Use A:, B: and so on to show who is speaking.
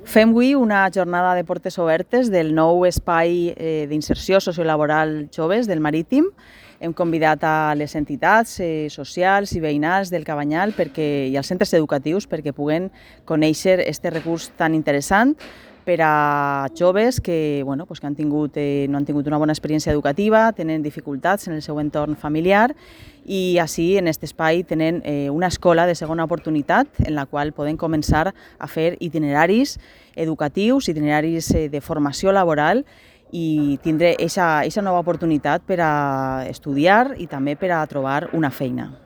A: Fem avui una jornada de portes obertes del nou espai d'inserció sociolaboral joves del Marítim. Hem convidat a les entitats socials i veïnals del Cabanyal i als centres educatius perquè puguen conèixer aquest recurs tan interessant per a joves que no han tingut una bona experiència educativa, tenen dificultats en el seu entorn familiar i així en aquest espai tenen una escola de segona oportunitat en la qual poden començar a fer itineraris educatius, itineraris de formació laboral i tindre aquesta nova oportunitat per a estudiar i també per a trobar una feina.